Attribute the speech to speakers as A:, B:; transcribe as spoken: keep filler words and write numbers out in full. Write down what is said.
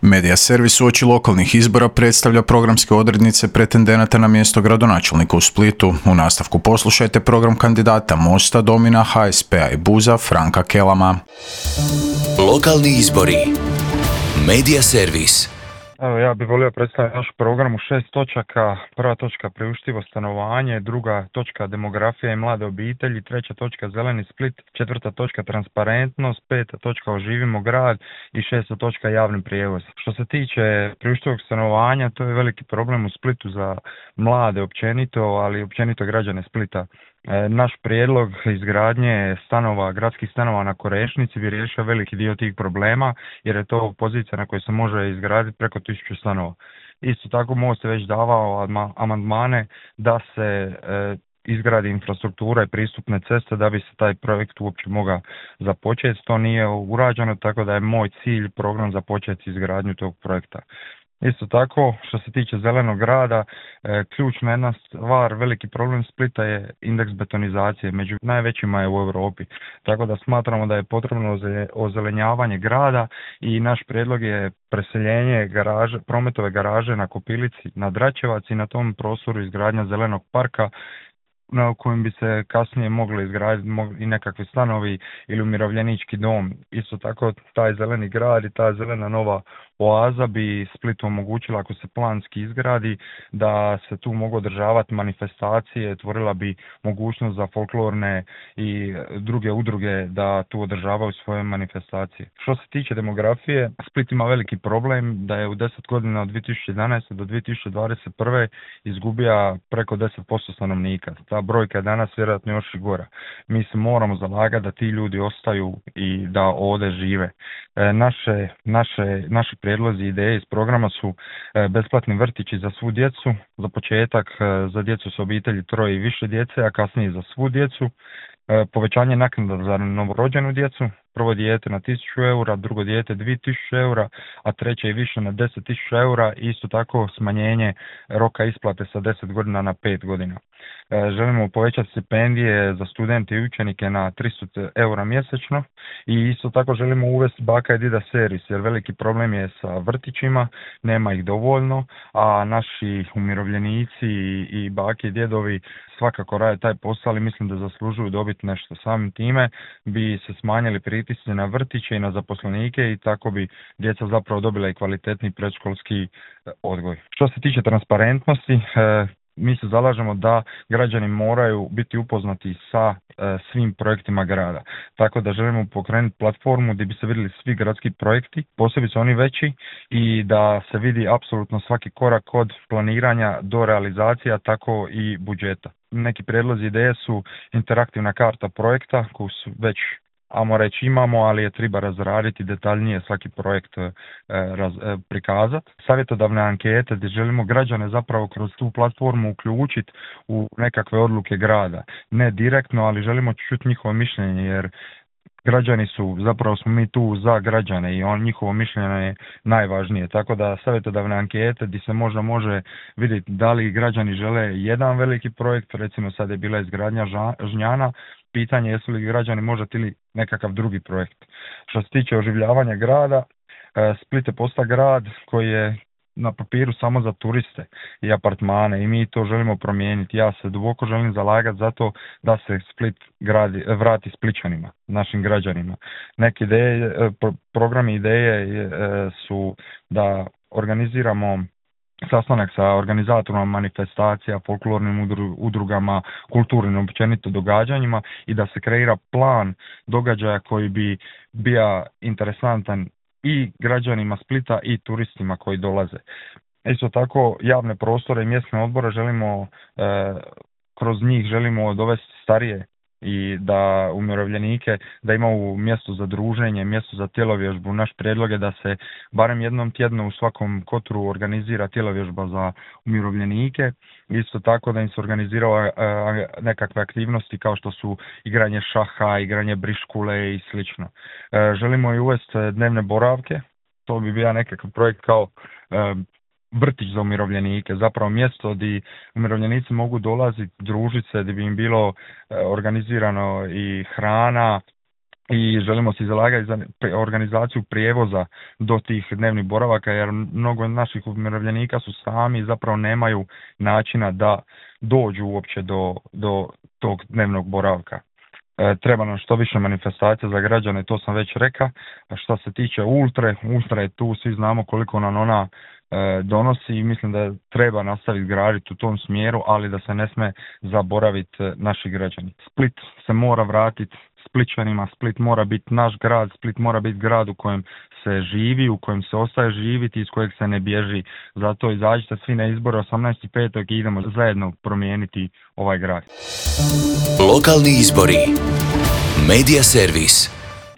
A: Medija servis uoči lokalnih izbora predstavlja programske odrednice pretendenata na mjesto gradonačelnika u Splitu. U nastavku poslušajte program kandidata Mosta, Domina, H S P-a i Buza Franka Kelama.
B: Lokalni izbori. Medija servis.
C: Evo, ja bih volio predstaviti naš program u šest točaka. Prva točka priuštivo stanovanje, druga točka demografija i mlade obitelji, treća točka zeleni Split, četvrta točka transparentnost, peta točka oživimo grad i šesta točka javni prijevoz. Što se tiče priuštivog stanovanja, to je veliki problem u Splitu za mlade općenito, ali općenito građane Splita. Naš prijedlog izgradnje stanova, gradskih stanova na Korešnici bi riješio veliki dio tih problema, jer je to pozicija na kojoj se može izgraditi preko tisuću stanova. Isto tako Most je već davao amandmane da se e, izgradi infrastruktura i pristupne ceste da bi se taj projekt uopće mogao započeti. To nije urađeno, tako da je moj cilj program započeti izgradnju tog projekta. Isto tako, što se tiče zelenog grada, e, ključna jedna stvar, veliki problem Splita je indeks betonizacije, među najvećima je u Europi. Tako da smatramo da je potrebno ozelenjavanje grada i naš prijedlog je preseljenje garaže, prometove garaže na Kopilici, na Dračevac i na tom prostoru izgradnja zelenog parka, na kojem bi se kasnije mogli izgraditi i nekakvi stanovi ili umirovljenički dom. Isto tako taj zeleni grad i ta zelena nova oaza bi Splitu omogućila, ako se planski izgradi, da se tu mogu održavati manifestacije, tvorila bi mogućnost za folklorne i druge udruge da tu održavaju svoje manifestacije. Što se tiče demografije, Split ima veliki problem da je u deset godina od dvije tisuće jedanaeste do dvije tisuće dvadeset prve izgubija preko deset posto stanovnika. Ta brojka je danas vjerojatno još i gora. Mi se moramo zalagati da ti ljudi ostaju i da ovdje žive. E, naše, naše, naši prijedlozi i ideje iz programa su e, besplatni vrtići za svu djecu, za početak e, za djecu s obitelji troje i više djece, a kasnije za svu djecu, e, povećanje naknada za novorođenu djecu, prvo dijete na tisuću eura, drugo dijete dvije tisuće eura, a treće i više na deset tisuća eura i isto tako smanjenje roka isplate sa deset godina na pet godina. E, želimo povećati stipendije za studente i učenike na tristo eura mjesečno i isto tako želimo uvesti baka i dida servis, jer veliki problem je sa vrtićima, nema ih dovoljno, a naši umirovljenici i, i bake i djedovi svakako rade taj posao, ali mislim da zaslužuju dobiti nešto. Samim time bi se smanjili pritisci na vrtiće i na zaposlenike i tako bi djeca zapravo dobila i kvalitetni predškolski odgoj. Što se tiče transparentnosti, e, mi se zalažemo da građani moraju biti upoznati sa e, svim projektima grada. Tako da želimo pokrenuti platformu gdje bi se vidjeli svi gradski projekti, posebice oni veći, i da se vidi apsolutno svaki korak od planiranja do realizacija, tako i budžeta. Neki prijedlozi ideje su interaktivna karta projekta koju su već ajmo reći imamo, ali je treba razraditi detaljnije svaki projekt e, raz, e, prikazati. Savjetodavne ankete gdje želimo građane zapravo kroz tu platformu uključiti u nekakve odluke grada. Ne direktno, ali želimo čuti njihovo mišljenje, jer građani su, zapravo smo mi tu za građane i on, njihovo mišljenje je najvažnije. Tako da savjetodavne ankete gdje se možda može vidjeti da li građani žele jedan veliki projekt, recimo sad je bila izgradnja Žnjana, pitanje jesu li građani možda ili nekakav drugi projekt. Što se tiče oživljavanja grada, Split je postao grad koji je na papiru samo za turiste i apartmane i mi to želimo promijeniti. Ja se duboko želim zalagati za to da se Split gradi, vrati Splićanima, našim građanima. Neke ideje, programi ideje su da organiziramo sastanak sa organizatorima manifestacija, folklornim udrugama, kulturnim općenito događanjima i da se kreira plan događaja koji bi bio interesantan i građanima Splita i turistima koji dolaze. Isto tako javne prostore i mjesne odbore želimo, e, kroz njih želimo dovesti starije i da umirovljenike, da imaju mjesto za druženje, mjesto za tjelovježbu. Naš prijedlog je da se barem jednom tjedno u svakom kotru organizira tjelovježba za umirovljenike. Isto tako da im se organiziraju nekakve aktivnosti kao što su igranje šaha, igranje briškule i slično. Želimo i uvesti dnevne boravke, to bi bio nekakav projekt kao vrtić za umirovljenike, zapravo mjesto gdje umirovljenici mogu dolaziti, družiti se, gdje bi im bilo organizirano i hrana, i želimo se zalagati za organizaciju prijevoza do tih dnevnih boravaka, jer mnogo naših umirovljenika su sami i zapravo nemaju načina da dođu uopće do, do tog dnevnog boravka. E, treba nam što više manifestacija za građane, to sam već rekao. A što se tiče Ultre, Ultra je tu, svi znamo koliko nam ona e, donosi i mislim da treba nastaviti graditi u tom smjeru, ali da se ne sme zaboraviti naši građani. Split se mora vratiti Splićanima, Split mora biti naš grad, Split mora biti grad u kojem se živi, u kojem se ostaje živiti, iz kojeg se ne bježi. Zato izađite svi na izbore osamnaestog petog i idemo zajedno promijeniti ovaj grad.
B: Lokalni izbori. Medija servis.